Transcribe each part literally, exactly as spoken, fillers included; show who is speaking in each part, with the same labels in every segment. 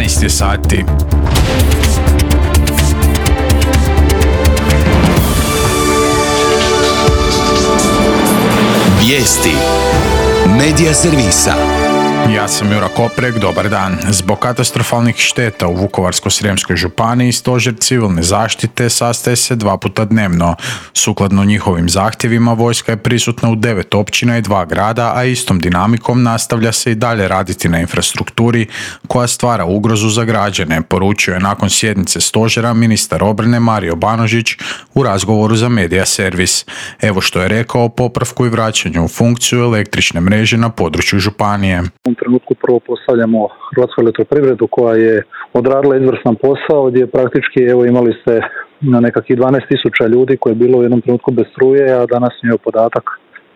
Speaker 1: jedanaest je sati.
Speaker 2: Vijesti Medija servisa.
Speaker 1: Ja sam Jura Koprek, dobar dan. Zbog katastrofalnih šteta u Vukovarsko-srijemskoj županiji Stožer civilne zaštite sastaje se dva puta dnevno. Sukladno njihovim zahtjevima vojska je prisutna u devet općina i dva grada, a istom dinamikom nastavlja se i dalje raditi na infrastrukturi koja stvara ugrozu za građane, poručio je nakon sjednice stožera ministar obrane Mario Banožić u razgovoru za Medija servis. Evo što je rekao o popravku i vraćanju u funkciju električne mreže na području županije.
Speaker 3: U ovom trenutku prvo postavljamo Hrvatsku elektroprivredu koja je odradila izvrstan posao gdje praktički evo imali ste na nekakvih dvanaest tisuća ljudi koji je bilo u jednom trenutku bez struje, a danas je podatak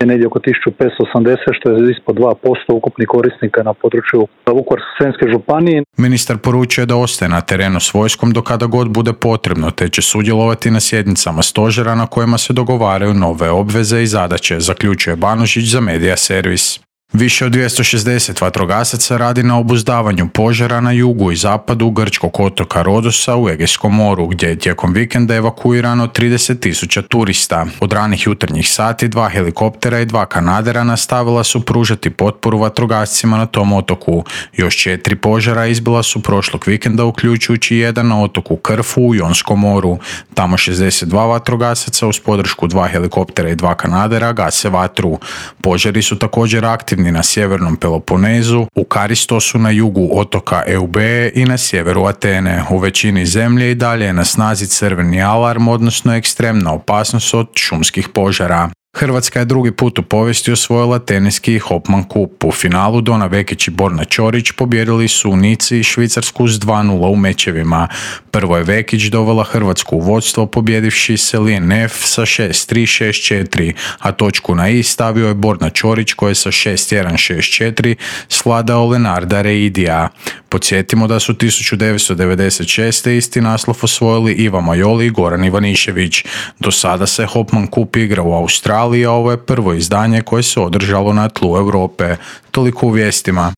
Speaker 3: je negdje oko tisuću petsto osamdeset, što je ispod dva posto ukupnih korisnika na području Vukovarsko-srijemske županije.
Speaker 1: Ministar poručuje da ostaje na terenu s vojskom do kada god bude potrebno, te će sudjelovati na sjednicama stožera na kojima se dogovaraju nove obveze i zadaće, zaključuje Banožić za Medija servis. Više od dvjesto šezdeset vatrogasaca radi na obuzdavanju požara na jugu i zapadu grčkog otoka Rodosa u Egejskom moru, gdje je tijekom vikenda evakuirano trideset tisuća turista. Od ranih jutarnjih sati dva helikoptera i dva kanadera nastavila su pružati potporu vatrogascima na tom otoku. Još četiri požara izbila su prošlog vikenda, uključujući jedan na otoku Krfu u Jonskom moru. Tamo šezdeset dva vatrogasaca uz podršku dva helikoptera i dva kanadera gase vatru. Požari su također aktivni na sjevernom Peloponezu, u Karistosu na jugu otoka Eubee i na sjeveru Atene. U većini zemlje i dalje je na snazi crveni alarm, odnosno ekstremna opasnost od šumskih požara. Hrvatska je drugi put u povijesti osvojila teniski Hopman Cup. U finalu Dona Vekić i Borna Ćorić pobijedili su u Nici i Švicarsku s dva nula u mečevima. Prvo je Vekić dovela Hrvatsku u vodstvo pobjedivši Celine F sa šest tri šest četiri, a točku na i stavio je Borna Ćorić koja je sa šest jedan šest četiri svladao Lenarda Reidija. Podsjetimo da su tisuću devetsto devedeset šeste. isti naslov osvojili Iva Majoli i Goran Ivanišević. Do sada se Hopman Cup igra u Australiji, a ovo je prvo izdanje koje se održalo na tlu Europe. Toliko u vijestima.